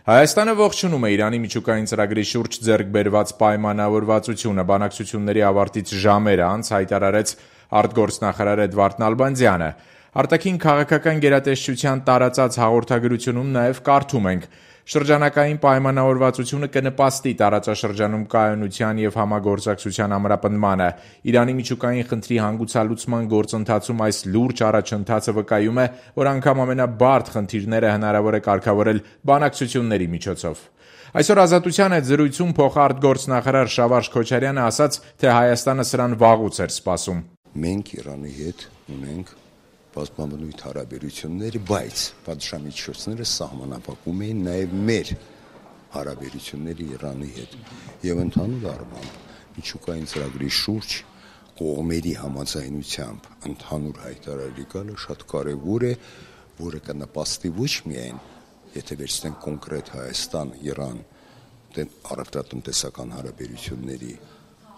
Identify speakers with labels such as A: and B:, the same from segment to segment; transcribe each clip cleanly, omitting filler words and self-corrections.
A: Հայաստանը ողջունում է Իրանի միջուկային ծրագրի շուրջ ձեռք բերված պայմանավորվածությունը, բանակցությունների ավարտից ժամեր անց հայտարարեց արտգործնախարար Էդվարդ Նալբանդյանը։ Արտաքին քաղաքական գերատեսչության տարածած հաղորդագրությունում նաև կարդում ենք. «Շրջանակային պայմանավորվածությունը կնպաստի տարածաշրջանում կայունության և համագործակցության ամրապնդմանը։ Իրանի միջուկային խնդրի հանգուցալուծման գործընթացում այս լուրջ առաջընթացը վկայում է, որ անգամ ամենաբարդ խնդիրները հնարավոր է կարգավորել բանակցությունների միջոցով»։ Այսօր «Ազատության» հետ զրույցում փոխարտգործնախարար Շավարշ Քոչարյանը ասաց, թե Հայաստանը սրան վաղուց էր սպասում։
B: Մենք Իրանի հետ ունենք բազմաբնույթ հարաբերություններ, բայց պատժամիջոցները սահմանափակում էին նաև մեր հարաբերությունները Իրանի հետ։ Եվ ընդհանուր առմամբ միջուկային ծրագրի շուրջ կողմերի համաձայնությամբ ընդհանուր հայտարարի գալը շատ կարևոր է, որը կնպաստի ոչ միայն, եթե վերցնենք կոնկրետ Հայաստան-Իրան առևտրատնտեսական հարաբերությունների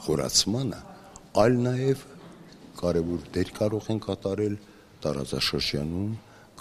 B: խորացմանը, այլ նաև կարևոր դեր կարող են կատարել տարածաշրջանում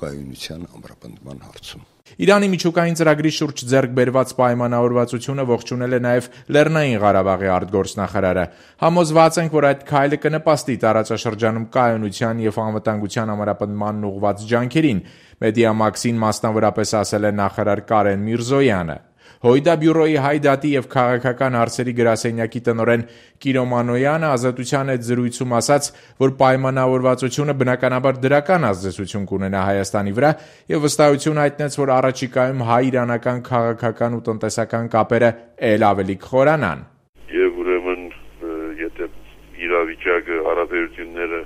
B: կայունության ամրապնդման հարցում։
A: Իրանի միջուկային ծրագրի շուրջ ձեռք բերված պայմանավորվածությունը ողջունել է նաև Լեռնային Ղարաբաղի արտգործնախարարը։ Համոզված ենք, որ այդ քայլը կնպաստի տարածաշրջանում կայունության և անվտանգության ամրապնդմանն ուղղված ջանքերին, Մեդիամաքսին մասնավորապես ասել է նախարար Կարեն Միրզոյանը։ Հոյդա բյուրոյի հայ դատի և քաղաքական հարցերի գրասենյակի տնօրեն Կիրո Մանոյանը «Ազատության» հետ զրույցում ասաց, որ պայմանավորվածությունը բնականաբար դրական ազդեցություն կունենա Հայաստանի վրա և վստահություն հայտնեց, որ առաջիկայում հայ-իրանական քաղաքական ու տնտեսական կապերը էլ ավելի կխորանան։
C: Եվ ուրեմն, եթե իրավիճակը, հարաբերությունները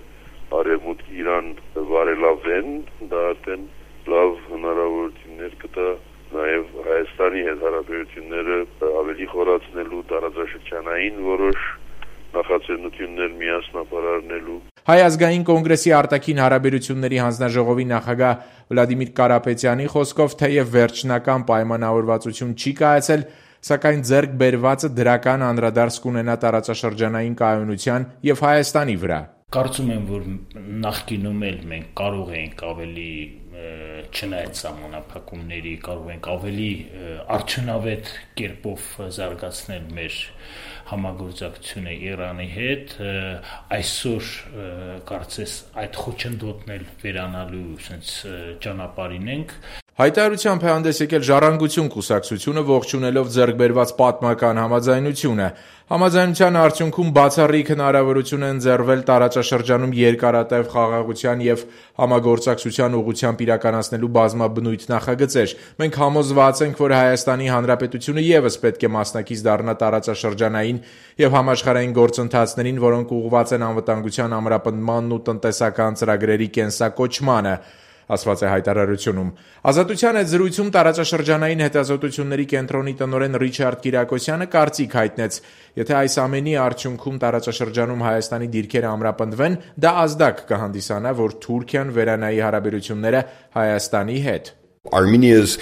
C: Արևմուտք-Իրան բարելավեն, դա արդեն լավ հնարավորություններ կտա նաև Հայաստանի հետ հարաբերությունները ավելի խորացնելու, տարածաշրջանային որոշ նախաձեռնություններ միասնապարարնելու։
A: Հայ ազգային կոնգրեսի արտաքին հարաբերությունների հանձնաժողովի նախագահ Վլադիմիր Կարապետյանի խոսքով, թեև վերջնական պայմանավորվածություն չի կայացել, սակայն ձեռք բերվածը դրական անդրադարձ կունենա տարածաշրջանային կայունության և Հայաստանի վրա։
D: Կարծում եմ, որ նախկինում էլ մենք կարող ենք ավելի, չնայած սահմանափակումների, կարող ենք ավելի արդյունավետ կերպով զարգացնել մեր համագործակցությունը Իրանի հետ։ Այսօր կարծես այդ խոչընդոտն էլ վերանալու ճանապարհին ենք։
A: Հայտարարությամբ է հանդես եկել Ժառանգություն կուսակցությունը, ողջունելով ձեռք բերված պատմական համաձայնությունը։ Համաձայնության արդյունքում բացառիկ հնարավորություն է ընձեռվել տարածաշրջանում երկարատև խաղաղության և համագործակցության ուղղությամբ իրականացնելու բազմաբնույթ նախագծեր։ Մենք համոզված ենք, որ Հայաստանի Հանրապետությունը ևս պետք է մասնակից դառնա տարածաշրջանային և համաշխարհային գործընթացներին, որոնք ուղղված են անվտանգության ամրապնդմանն ու տնտեսական ծրագրերի կենսակոչմանը, ասված է հայտարարությունում։ «Ազատության» հետ զրույցում տարածաշրջանային հետազոտությունների կենտրոնի տնօրեն Ռիչարդ Կիրակոսյանը կարծիք հայտնեց. եթե այս ամենի արդյունքում տարածաշրջանում Հայաստանի դիրքերը ամրապնդվեն, դա ազդակ կհանդիսանա, որ Թուրքիան վերանայի հարաբերությունները Հայաստանի հետ։
E: Armenia's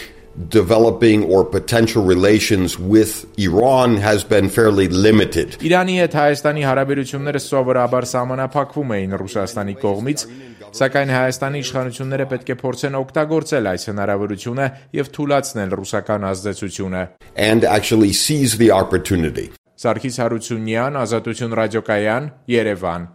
E: developing or potential relations with Iran has been fairly limited.
A: Իրանի հետ Հայաստանի հարաբերությունները սովորաբար սահմանափակվում էին Ռուսաստանի կողմից, սակայն Հայաստանի իշխանությունները պետք է փորձեն օգտագործել այս հնարավորությունը և թուլացնել ռուսական ազդեցությունը։
E: And actually seize the opportunity.
A: Սարգիս Հարությունյան, Ազատություն ռադիոկայան, Երևան։